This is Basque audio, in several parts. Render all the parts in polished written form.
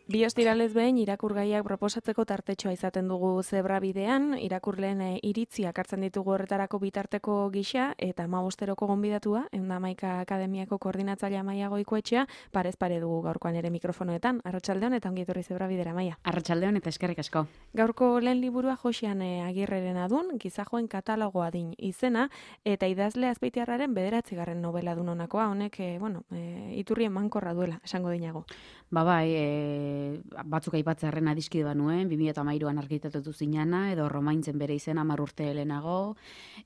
Bi ostiralez behin irakurgaiak proposatzeko tartetxoa izaten dugu zebrabidean, irakurleen iritzia hartzen ditugu horretarako bitarteko gisa, eta 15-eroko gonbidatua, 111 Akademiako koordinatzailea Maia Goikoetxea, parez pare dugu gaurkoan ere mikrofonoetan. Arratsaldeon eta ongi etorri zebrabidera, Maia. Arratsaldeon eta eskerrik asko. Gaurko lehen liburua Joxean Agirreren adun, gizajoen katalogoa din izena, eta idazle Azpeitiarraren 9. novela dun honakoa, honek, iturri emankorra duela, esango dinago. Batzuk aipatzearren adiskide banuen, 2013an argitaratu zinana, edo Romaintzen bere izena 10 urte lehenago,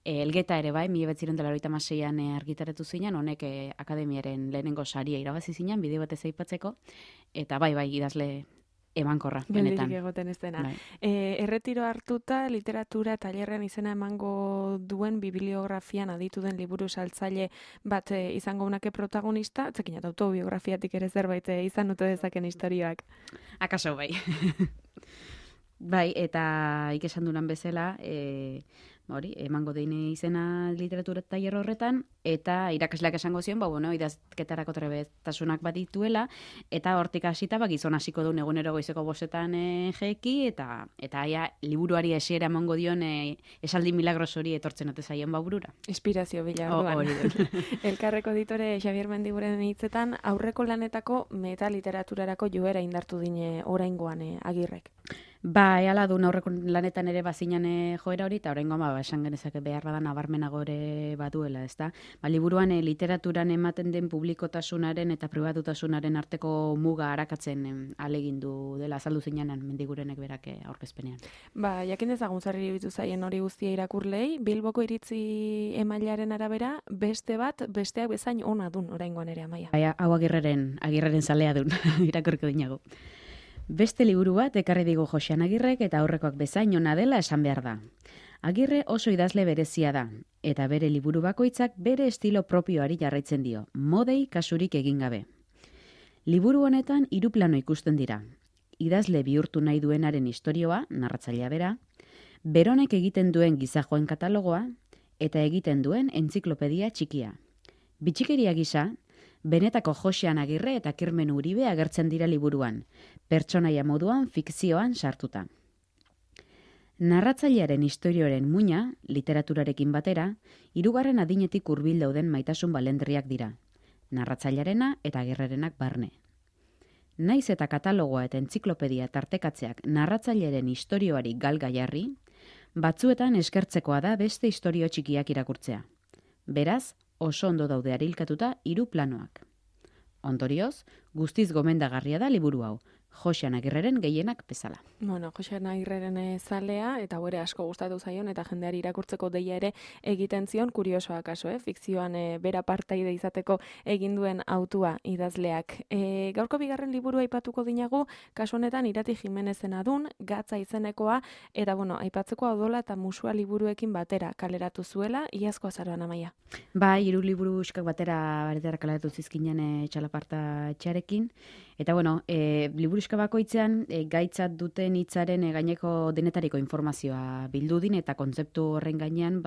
Elgeta ere bai, 1996an argitaratu zinan, honek akademiaren lehenengo saria irabazi zinan, bideo batez aipatzeko, eta bai, idazle emankorra, benetan. Geldirik egoten ez dena. Bai. Erretiro hartuta, literatura tailerrean izena emango duen bibliografian aditu den liburu saltzaile bat izango unake protagonista, zekin eta autobiografiatik ere zerbait izan ote dezaken istorioak. Akaso bai. Bai, eta ikesan dunan bezala, emango deine izena literatura tailer horretan, eta irakasleak esango zion, idazketarako trebetasunak bat dituela, eta hortik hasita gizon hasiko duen egunero goizeko 5etan jeki, eta aia liburuari esiera emango dion esaldi milagros hori etortzen ote zaien burura. Inspirazio bila orduan. Elkarreko editore Xabier Mendiguren hitzetan, aurreko lanetako metaliteraturarako joera indartu dine oraingoan Agirrek. Hala duen aurreko lanetan ere bazinan joera hori, eta oraingoan esan genezake behar badan nabarmenago ere baduela, ezta? Liburuan literaturan ematen den publikotasunaren eta pribatutasunaren arteko muga arakatzen alegindu dela, azaldu zinanan Mendigurenek berak aurkezpenean. Jakin dezagun zer iruditu zaien hori guztia irakurlei, Bilboko iritzi emailaren arabera, besteak bezain ona dun oraingoan ere, Amaia. Hau Agirreren zalea dun, irakurko dinago. Beste liburu bat ekarri digu Joxean Agirrek eta aurrekoak bezain ona dela esan behar da. Agirre oso idazle berezia da, eta bere liburu bakoitzak bere estilo propioari jarraitzen dio, modei kasurik egin gabe. Liburu honetan 3 plano ikusten dira. Idazle bihurtu nahi duenaren istorioa, narratzailea bera, beronek egiten duen gizajoen katalogoa, eta egiten duen entziklopedia txikia. Bitxikeria gisa, benetako Joxean Agirre eta Kirmen Uribe agertzen dira liburuan, pertsonaia moduan fikzioan sartuta. Narratzailearen istorioaren muina, literaturarekin batera, 3. adinetik hurbil dauden maitasun balendriak dira, narratzailearena eta Agirrerenak barne. Naiz eta katalogoa eta entziklopedia tartekatzeak narratzailearen istorioari galga jarri, batzuetan eskertzekoa da beste istorio txikiak irakurtzea. Beraz, oso ondo daude arilkatuta 3 planoak. Ondorioz, guztiz gomendagarria da liburu hau, Joxean Agirreren gehienak bezala. Joxean Agirreren zalea, eta ere asko gustatu zaion, eta jendeari irakurtzeko deia ere egiten zion, kuriosoa kaso, fikzioan bera partaide izateko egin duen autua idazleak. Gaurko bigarren liburu aipatuko dinagu, kasu honetan Irati Jimenezen adun, Gatza izenekoa, eta aipatzeko Odola eta Musua liburuekin batera kaleratu zuela, iazko azaroan, Amaia. 3 liburu uskak batera kaleratu zizkinen Txalaparta etxearekin, eta liburuska bakoitzean gaitzat duten hitzaren gaineko denetariko informazioa bildu din, eta kontzeptu horren gainean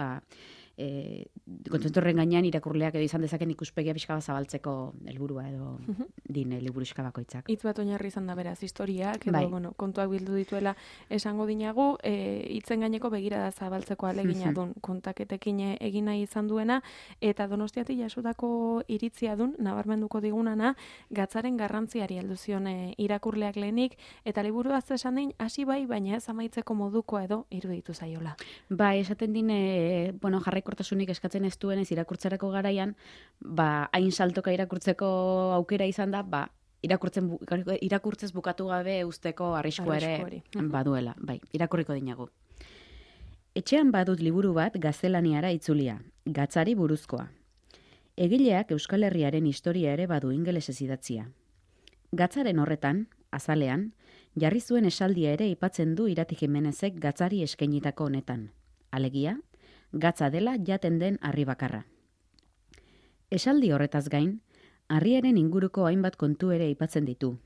irakurleak edo izan dezaken ikuspegia pixka bat zabaltzeko helburua edo din liburuska bakoitzak. Hitz bat oinarri izan da beraz historiak, edo kontuak bildu dituela esango dinagu, hitzen gaineko begirada zabaltzeko alegina dun kontaketekin egin nahi izan duena, eta Donostiatik jasotako iritzia dun, nabarmenduko digunana, Gatzaren garrantziari heldu zion irakurleak lehenik, eta liburu esan din, hasi baina ez amaitzeko modukoa edo iruditu zaiola. Esaten din, jarraikortasunik eskatzen ez duenez irakurtzerako garaian, hain saltoka irakurtzeko aukera izan da, irakurtzez bukatu gabe usteko arriskua ere baduela. Irakurriko dinagu. Etxean badut liburu bat gaztelaniara itzulia, Gatzari buruzkoa. Egileak Euskal Herriaren historia ere badu ingelesez idatzia. Gatzaren horretan, azalean, jarri zuen esaldia ere aipatzen du Irati Jimenezek Gatzari eskainitako honetan. Alegia, Gatza dela jaten den harri bakarra. Esaldi horretaz gain, harriaren inguruko hainbat kontu ere aipatzen ditu.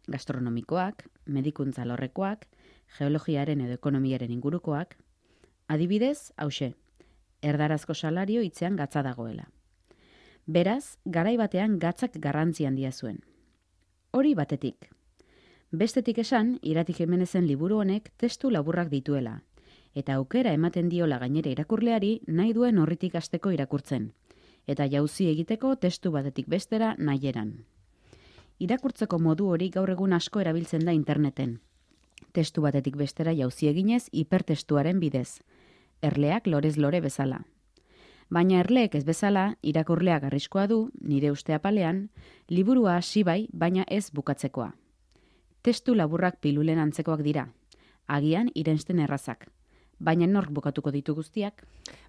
Gastronomikoak, medikuntza alorrekoak, geologiaren edo ekonomiaren ingurukoak. Adibidez, hauxe, erdarazko salario hitzean gatza dagoela. Beraz, garai batean gatzak garrantzi handia zuen. Hori batetik. Bestetik esan, Iratik Jimenezen liburu honek testu laburrak dituela, eta aukera ematen diola gainera irakurleari nahi duen horritik hasteko irakurtzen, eta jauzi egiteko testu batetik bestera nahieran. Irakurtzeko modu hori gaur egun asko erabiltzen da interneten. Testu batetik bestera jauzi eginez hipertestuaren bidez, erleak lorez lore bezala. Baina erleek ez bezala, irakurleak arriskoa du, nire uste apalean, liburua hasi bai, baina ez bukatzekoa. Testu laburrak pilulen antzekoak dira, agian irensten errazak, baina nork bukatuko ditu guztiak?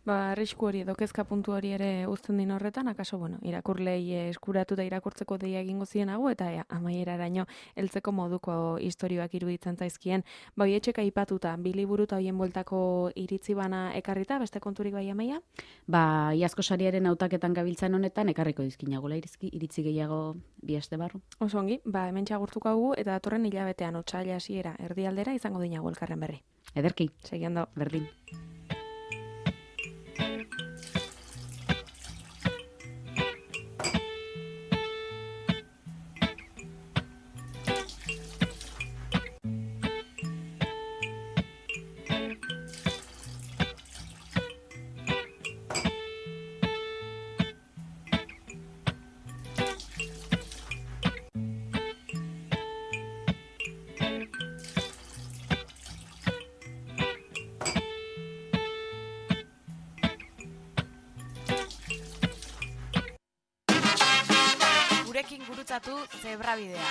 Arrisku hori edo kezka puntu hori ere uzten din horretan, akaso, irakurlei eskuratu da irakurtzeko deia egingo zienago, eta amaieraraino heltzeko moduko istorioak iruditzen zaizkien. Etxeka aipatuta, bi liburu eta hoien bueltako iritzi bana ekarrita, beste konturik bai Amaia? Iazko sariaren hautaketan gabiltzan honetan, ekarriko dizkinagola iritzi gehiago bi aste barru. Oso ongi, hemen txagurtuko hau eta datorren hilabetean otsaila hasiera erdialdera izango dinago elkarren berri. Ederki, Segi ondo. berdin. Gurekin gurutzatu Zebrabidea.